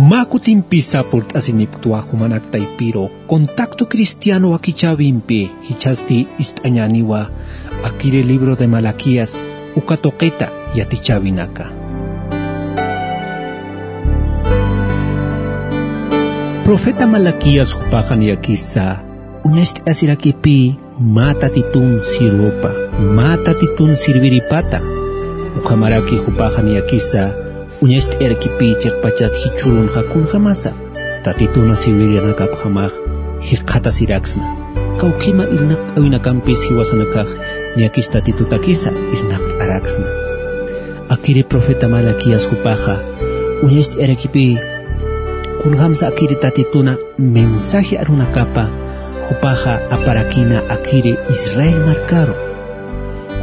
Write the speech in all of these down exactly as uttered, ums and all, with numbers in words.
Mä kutimpisa purt'asinipktwa jumanak taypiru Contacto Cristiano wakichäwimpi, jichhasti ist'añäniwa akiri libro de Malaquías uka tuqita yatichäwinaka. Profeta Malaquías jupaxa niyakisa uñacht'asirakipï mä Tatitun sirwapa, mä Tatitun sirviripata. Ukhamaraki jupaxa niyakisa uñacht'ayarakipï chiqpachas jichhürunxa kunjamasa Tatituna sirvirinakapjamax jikxatasiraksna. Kawkhima irnaqt'äwinakampis jiwasanakax niyakis Tatitutakisa irnaqt'araksna. Akiri profeta Malaquías jupaxa uñacht'ayarakipï kunjamsa akiri Tatituna mensaje arunakapa jupaxa aparakïna akiri Israel markaru.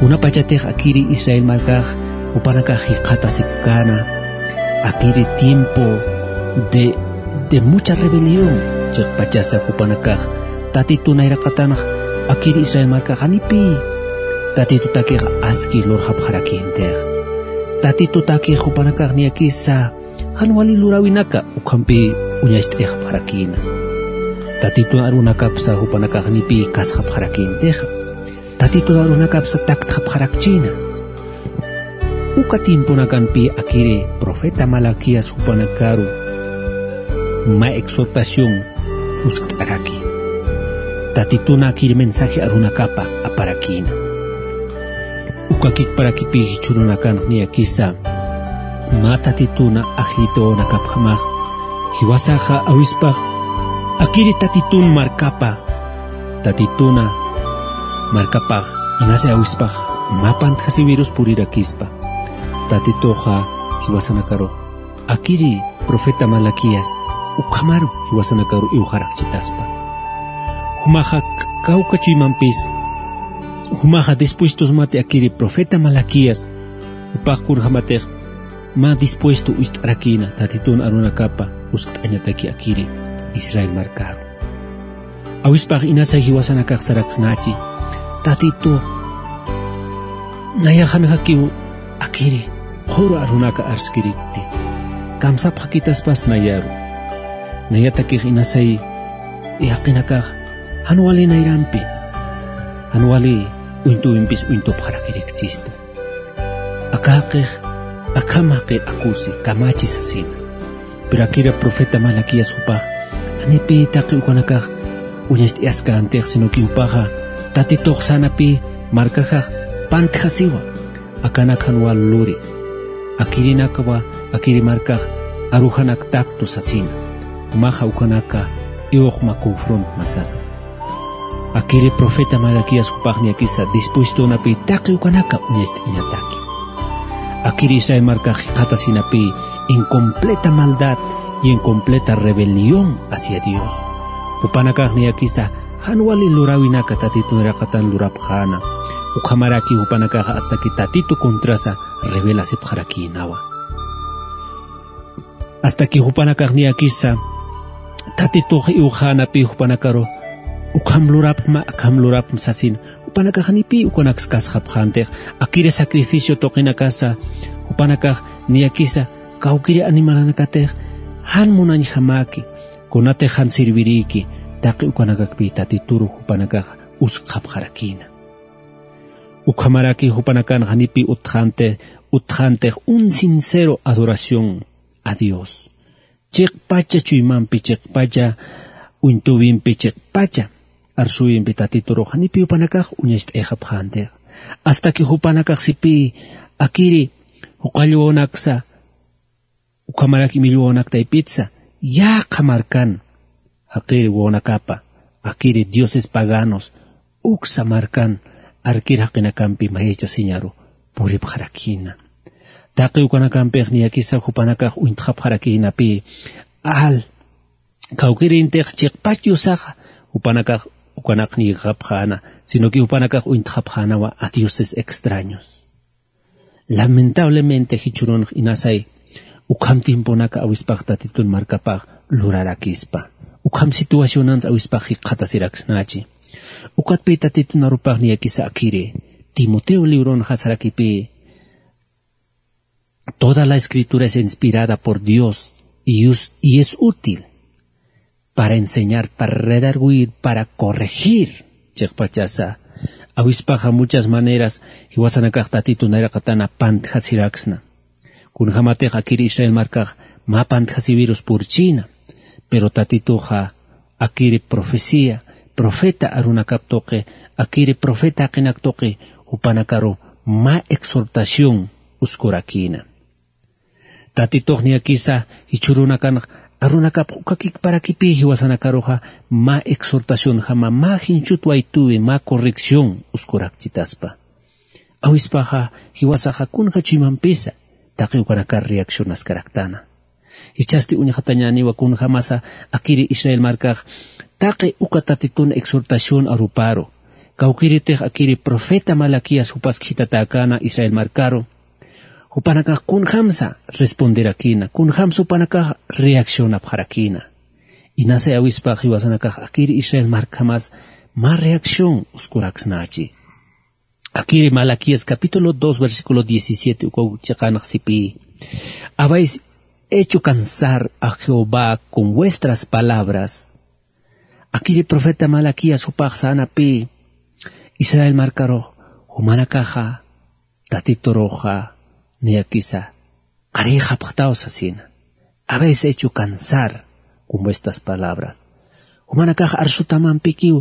Kunapachatix akiri Israel markax jupanakax jikxatasipkäna, akiri tiempo de, de mucha rebelión, chiqpachasa jupanakax Tatitu nayraqatanx akiri Israel markax janipï Tatitutakix aski lurxapxarakïntix. Tatitutakix jupanakax niyakisa jan wali luräwinaka ukhampï uñacht'ayxapxarakïna. Tatitun arunakapsa jupanakax janipï kasxapxarakïntixa. Tatitun arunakapsa taktxapxarakchïna. Uka tiemponakampï akiri profeta Malaquías jupanakaru mä exhortación uskt'araki. Tatituna akiri mensaje arunakapa aparakïna. Uka kikparakipï jichhürunakanx niyakisa mä Tatituna ajllit'awanakapjamax, jiwasaxa awispax akiri Tatitun markapa, Tatituna markapax inasa awispax mä pantjasiwirus purirakispa. Tatituxa jiwasanakaru akiri profeta Malaquías ukhamaru jiwasanakaru iwxarakchitaspa. Jumaxa kawka chuymampis, jumaxa dispuestosmati akiri profeta Malaquías, jupax kunjamatix mä dispuesto ist'arakïna Tatitun arunakapa uskt'añataki akiri Israel markaru. Awispax inasay jiwasanakax saraksnachi: Tatitu, nayax janjakiw akiri qhuru arunaka arskirikti. Kamsapxakitaspas nayaru. Nayatakix inasay jaqinakax jan wali nayrampi, jan wali uñtuwimpis uñtupxarakirikchista. Aka jaqix akham jaqir akusi, kamachi sasina. Pero akiri profeta Malaquías jupax janipï taqi ukanakax uñacht'ayaskantix, sino que jupaxa Tatitux sänapï markajax pantjasiwa, akanak jan wal luri. Akirinakwa akiri markax arujanak taktu sasina. Jumaxa ukanaka iwxma confrontma sasa. Akiri profeta Malaquías jupax niyakisa dispuestonapï taqi ukanaka uñacht'añataki. Akiri Israel markax jikxatasinapï en completa maldad y en completa rebelión hacia Dios. Jupanakax niyakisa jan wali luräwinaka Tatitu nayraqatan lurapxäna. Ukhamaraki jupanakaxa hasta que Tatitu contrasa rebelasipxarakïnawa. Hasta que jupanakax niyakisa Tatitux iwxänapï jupanakaru ukham lurapxma, akham lurapxma sasin, jupanakax janipï ukanaks kasxapxäntix, akiri sacrificio tuqinakasa jupanakax niyakisa kawkiri animalanakatix jan munañjamäki, kunatix jan sirvirïki, taqi ukanakakpï Tatituru jupanakax uskxapxarakïna. Ukhamaraki jupanakan janipï utjäntix, utjäntix un sincero adoración a Dios. Chiqpacha chuymampi, chiqpacha uñtuwimpi, chiqpacha arsuwimpi Tatiturux janipï jupanakax uñacht'ayxapxäntix. Hasta que jupanakax sipï akiri juqall wawanaksa, ukhamarak imillwawanak taypitsa, yaqha markan, jaqiri wawanakapa, akiri dioses paganos, uksa markan, arkir jaqinakampi mayachasiñaru puripxarakïna. Taqi ukanakampix niyakisa jupanakax uñtxapxarakïnapï, al, kawkirïntix chiqpach diosaxa, jupanakax ukanaq niyxapxäna, sino que jupanakax uñtxapxänawa a dioses extraños. Lamentablemente jichhürunx inasay ukham tiemponaka awispax Tatitun markapax lurarakispa. Ukham situacionans awispax jikxatasiraksnachi. Ukatpï Tatitun arupax niyakisa akiri Timoteo libronxa sarakipï: Toda la Escritura es inspirada por Dios y us- y es útil para enseñar, para redargüir, para corregir. Chiqpachasa awispaxa muchas maneras jiwasanakax tatitu nayraqatana pantjasiraksna. Kunjamatix akiri Israel markax mä pantjasiwirus purchïna. Pero tatituxa akiri profecía, profeta arunakap tuqi, akiri profeta jaqinak tuqi jupanakaru mä exhortación uskurakïna. Tatitux niyakisa jichhürunakan arunakap uka kikparakipï jiwasanakaruxa mä exhortacionjama, mä jinchhut waytuwi, mä corrección uskurakchitaspa. Awispaxa jiwasaxa kunja chuymampisa taqi ukanakar reaccionaskaraktana. Jichhasti uñxatañäniwa kunjamasa akiri Israel markax taqi uka tatitun exhortación aruparu. Kawkïritix akiri profeta Malaquías jupas khitatäkäna Israel markaru. Jupanakax kunjamsa responderakïna, kunjamsa jupanakax reaccionapxarakïna. Inasay awispax jiwasanakax akiri Israel markjamas mä reacción uskuraksnächi. Akiri Malaquías capítulo dos, versículo diecisiete ukaw chiqanx sipï: Habéis hecho cansar a Jehová con vuestras palabras. Akiri profeta Malaquías jupax sänapï Israel markarux, jumanakaxa tatituruxa niyakisa qarïxapxtaw sasina. Habéis hecho cansar con vuestras palabras. Jumanakax arsutamampikiw,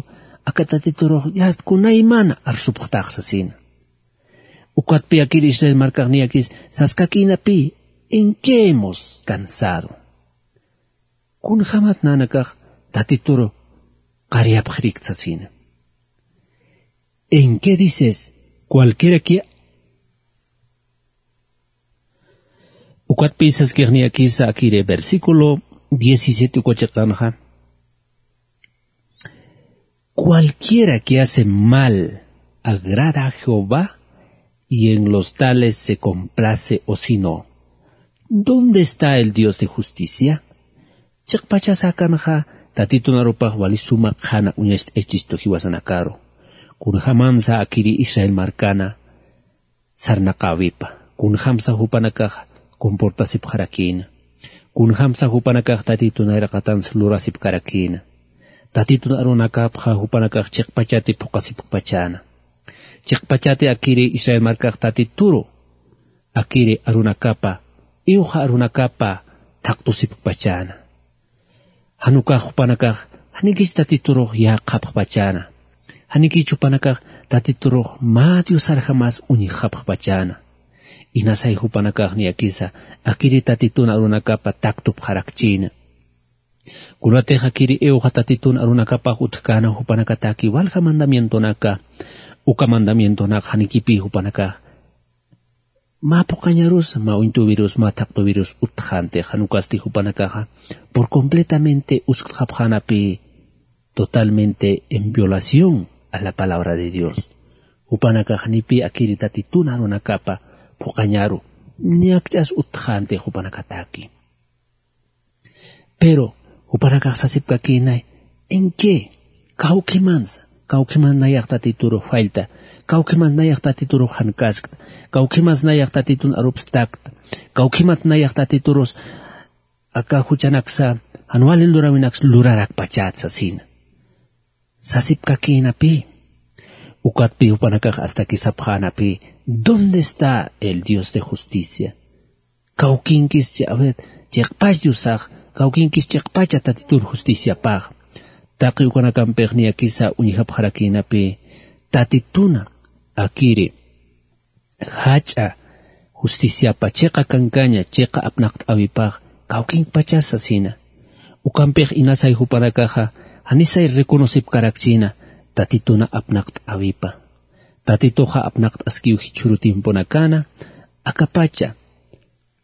aka tatiturux yast kunaymana arsupxtax sasina. Ukatpi akir Israel markax niyakis saskakïnapï: ¿En qué hemos cansado? Kunjamat nanakax tatituru qarïapxirikta sasina. ¿En qué dices? Cualquiera que Ukatpï saskix niyakisa akiri versículo diecisiete uka chiqanxa: Cualquiera que hace mal agrada a Jehová, y en los tales se complace, o si no, ¿dónde está el Dios de justicia? Chiqpachasa akanxa tatitun arupax wali suma qhana uñacht'ayachistu jiwasanakaru. Kunjamansa akiri Israel markana sarnaqäwipa, kunjamsa jupanakax comportasipxarakïna, kunjamsa jupanakax tatitun nayraqatansa lurasipkarakïna. Tatitun arunakapxa jupanakax chiqpachati phuqasipkpachäna. Chiqpachati akiri Israel markax tatituru akiri arunakapa, iwxa arunakapa thaqtusipkpachäna. Jan ukax jupanakax janikich tatiturux yäqxapxpachäna. Janikich jupanakax tatiturux mä diosarjamas uñjxapxpachäna. Inasay jupanakax niyakisa akiri tatitun arunakapa taktupxarakchïna. Kunatix akiri iwxa tatitun arunakapax utjkäna jupanakataki walja mandamientonaka, uka mandamientonaka janikipï jupanakax mä phuqañarus, mä uñtuwirus, mä thaqtuwirus utjxänti, jan ukasti jupanakaxa por completamente usktxapxänapï, totalmente en violación a la palabra de Dios. Jupanakax janipï akiri tatitun arunakapa phuqañaru, niyakch'as utjxänti jupanakataki. Pero jupanakax sasipkakïnay: ¿En qué? Kawkhimansa, kawkhimansa nayax tatiturux fallta, kawkhimansa nayax tatiturux jankaskta, kawkhimansa nayax tatitun arupstakta, kawkhimansa nayax tatiturus aka juchanaksa jan wali luräwinaksa lurarakpachät sasina. Sasipkakïnapï. Ukatpï jupanakax astaki sapxänapï: ¿Dónde está el Dios de justicia? Kawkinkis chi-, a ver, chiqpach Diosax, kawkinkis chiqpacha tatitun justiciapax. Taqi ukanakampix niyakisa uñjapxarakïnapï tatituna akiri jach'a justiciapa chiqa kankaña, chiqa apnaqt'äwipax kawkinkpachas sasina. Ukampix inasay jupanakaxa janisay reconocipkarakchïna tatituna apnaqt'äwipa. Tatituxa apnaqt'askiw jichhüru tiemponakana, akapacha,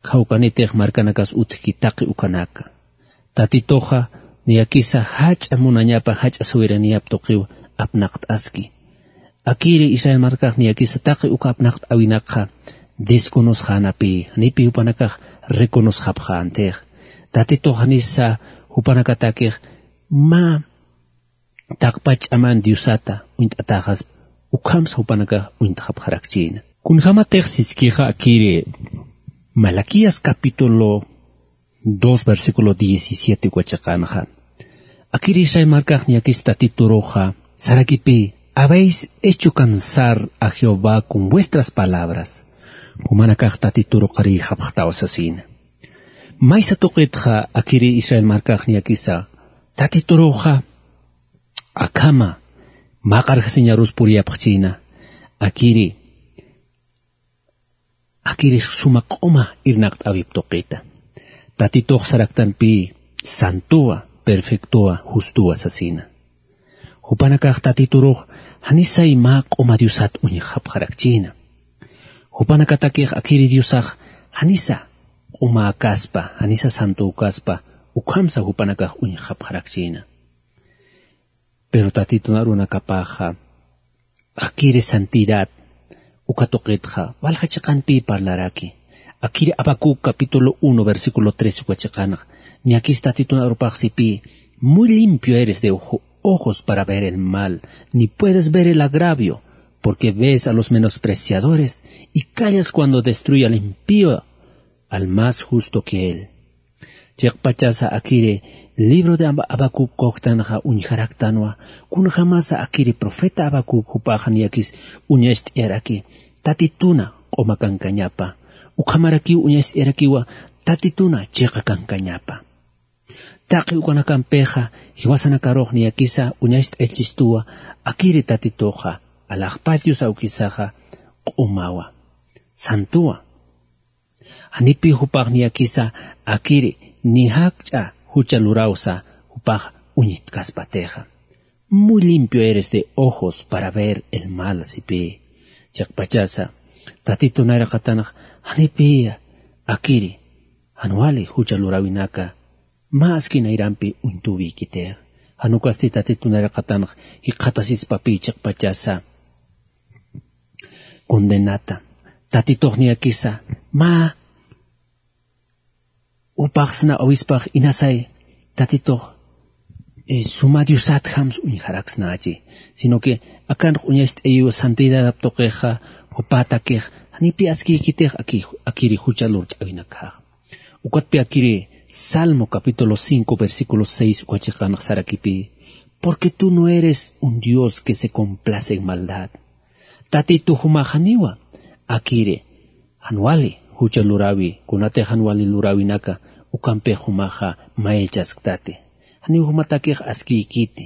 jawkanitix markanakas utjki taqi ukanaka. Tatituxa niyakisa jach'a munañapa, jach'a sawiraniyap tuqiw apnaqt'aski. Akiri Israel markax niyakisa taqi uka apnaqt'äwinakxa desconosxänapï, janipï jupanakax reconocxapxäntix. Tatitux janisa jupanakatakix mä taqpach ch'aman Diosata uñt'atäxaspa, ukhamsa jupanakax uñt'xapxarakchïna. Kunjamatix siskixa akiri Malaquías capítulo dos, versículo diecisiete uka chiqanxa. Akiri Israel markax niyakis Tatituruxa sarakipï: "Habéis hecho cansar a Jehová con vuestras palabras". Jumanakax Tatituruqarïxapxtaw sasina. Maysa tuqitxa akiri Israel markax niyakisa Tatituruxa akhama mä qarjasiñarus puriyapxchïna, akiri, akiri suma q'uma irnaqt'äwip tuqita. Tatitux saraktanpï santuwa, perfectowa, justowa sasina. Jupanakax Tatiturux janisay mä q'uma diosat uñjapxarakchïna. Jupanakatakix akiri diosax janisa q'umäkaspa, janisa santükaspa, ukhamsa jupanakax uñjapxarakchïna. Pero Tatitun arunakapaxa akiri santidad uka tuqitxa walja chiqanpï parlaraki. Akiri Habacuc capítulo uno, versículo tres uka chiqanxa niyakis Tatitun arupax sipï: "Muy limpio eres de ojo-, ojos para ver el mal, ni puedes ver el agravio, porque ves a los menospreciadores y callas cuando destruye al impío, al más justo que él". Chiqpachasa akiri libro de Haba-, Habacuc kuktanxa uñjaraktanwa, kunjamasa akiri profeta Habacuc jupaxa niyakis uñacht'ayaraki Tatituna q'uma kankañapa, ukhamarakiw uñacht'ayarakiwa Tatituna chiqa kankañapa. Taqi ukanakampixa jiwasanakarux niyakisa uñacht'ayachistuwa akiri Tatituxa alaxpach Dios awkisaxa q'umawa, santuwa. Janipï jupax niyakisa akiri ni jakch'a jucha lurawsa jupax uñtkaspatixa. "Muy limpio eres de ojos para ver el mal", sipï. Chiqpachasa Tatitun nayraqatanx janipï akiri jan wali jucha luräwinaka mä aski nayrampi uñt'awikitix. Jan ukasti Tatitun nayraqatanx jikxatasispapï chiqpachasa condenata. Tatitux niyakisa mä jupax sna awispax inasay Tatitux, eh, suma diosatjamsa uñjaraksnachi, sino que akanx uñacht'ayiw santidadap tuqixa, jupatakix janipï askïkitix aki-, akiri jucha lurt'äwinakxa. Ukatpï akiri Salmo capítulo cinco, versículo seis uka chiqanx sarakipï: "Porque tú no eres un Dios que se complace en maldad". Tatitu jumax janiwa akiri jan wali jucha luräwi, kunatix jan wali luräwinaka ukampix jumaxa mayachasktati. Janiw jumatakix askïkiti.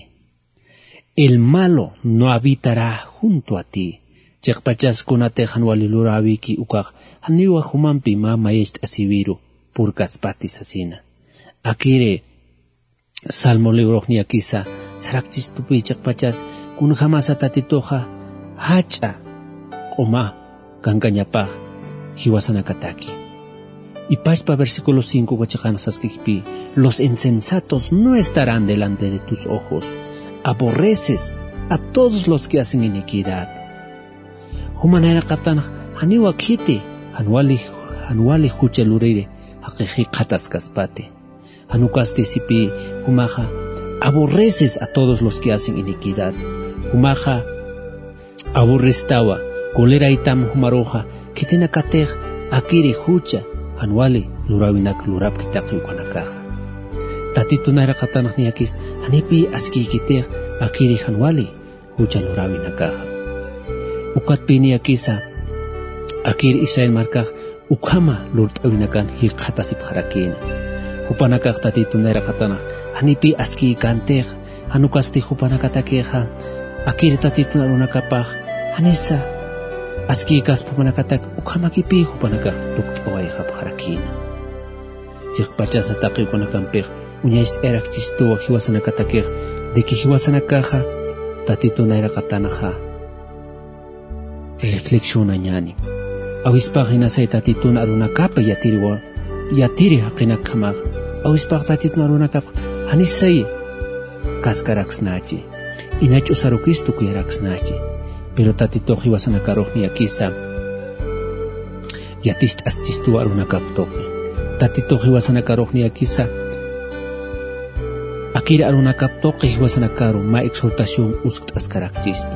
"El malo no habitará junto a ti". Chiqpachas kunatix jan wali luräwiki ukax janiwa jumampi mä mayacht'asiwiru purkaspati sasina. Akiri Salmo librox niyakisa sarakchistupï chiqpachas kunjamasa Tatituxa jach'a q'uma kankañapax jiwasanakataki. Ipachpa versículo cinco uka chiqanx saskipï: "Los insensatos no estarán delante de tus ojos. Aborreces a todos los que hacen iniquidad". Juma nayraqatanx janiwa khiti jan wali, jan wali jucha luriri jaqix jikxataskaspati. Jan ukasti sipï jumaxa: "Aborreces a todos los que hacen iniquidad". Jumaxa aburristawa, coleraytam jumaruxa khitinakatix akiri jucha jan wali luräwinak lurapkitaki ukanakaxa. Tatitun nayraqatanx niyakis janipï askïkitix akiri jan wali jucha luräwinakaxa. Ukatpï niyakisa akir Israel markax ukhama lurt'äwinakan jikxatasipxarakïna. Jupanakax Tatitun nayraqatanx janipï askïkantix, jan ukasti jupanakatakixa akir Tatitun arunakapax janisa askïkaspa jupanakatak ukhamakipï jupanakax tukt'awayxapxarakïna. Chiqpachasa taqi ukanakampix uñacht'ayarakchistuwa jiwasanakatakix de que jiwasanakaxa Tatitun nayraqatanxa reflexionañäni. Awispax inasay Tatitun arunakapa yatiriwa, yatiri jaqinakjamax. Awispax Tatitun arunakap janisay kaskaraksnachi, ina ch'usarukis tukuyaraksnachi. Pero Tatitux jiwasanakarux niyakisa yaticht'aschistuwa arunakap tuqi. Tatitux jiwasanakarux niyakisa akir arunakap tuqi jiwasanakaru mä exhortación uskt'askarakchistu.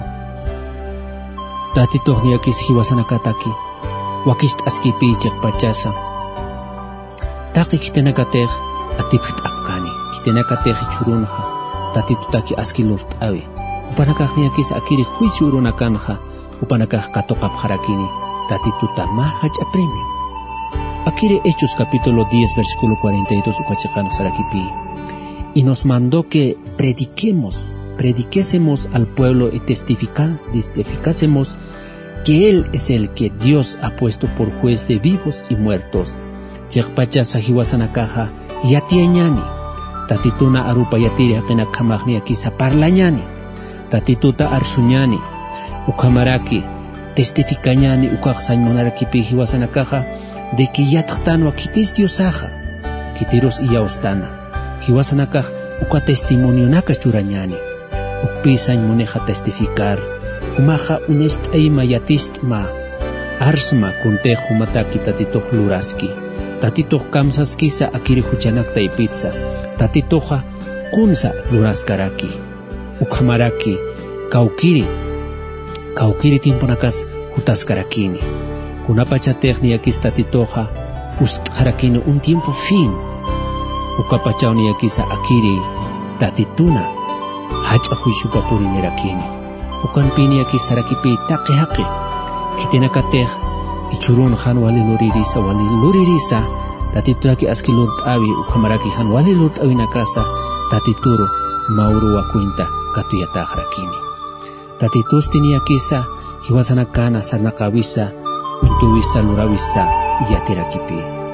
Tatitux niyakis jiwasanakataki wakicht'askipï chiqpachasa Taqi khitinakatix atipjt'apkani, khitinakatix jichhürunxa Tatitutaki aski lurt'äwi. Jupanakax niyakisa akiri juicio urunakanxa jupanakax katuqapxarakini Tatituta mä jach'a premio. Akiri Hechos capítulo diez, versículo cuarenta y dos uka chiqanx sarakipï: Y nos mandó que prediquemos, prediquésemos al pueblo y testifica-, testificásemos que Él es el que Dios ha puesto por juez de vivos y muertos. Chiqpachasa jiwasanakaxa yatiyañäni, Tatituna arupa yatiri jaqinakjamax niyakisa parlañäni, Tatituta arsuñäni, ukhamaraki testificañäni, ukax sañ munarakipï jiwasanakaxa de que yatxtanwa khitis Diosaxa, khitirus iyawstana. Jiwasanakax uka testimonionaka churañäni. Ukpï sañ munixa testificar, jumaxa uñacht'ayma, yatist'ma, arsma kuntix jumataki Tatitux luraski. Tatitux kamsaskisa akiri juchanak taypitsa, Tatituxa kunsa luraskaraki. Ukhamaraki kawkiri, kawkiri tiemponakas jutaskarakini. Kunapachatix niyakis Tatituxa pust'xarakini un tiempo fin. Ukapachaw niyakisa akiri Tatituna jach'a juiciopa purinirakini. Ukampï niyakis sarakipï taqi jaqi. Khitinakatix jichhürun jan wali luririsa, wali luririsa, Tatitutaki aski lurt'äwi, ukhamaraki jan wali lurt'äwinakasa Tatituru mä uruwa cuenta katuyatäxarakini. Tatitusti niyakisa jiwasanakana sarnaqäwisa, uñt'äwisa, luräwisa yatirakipï.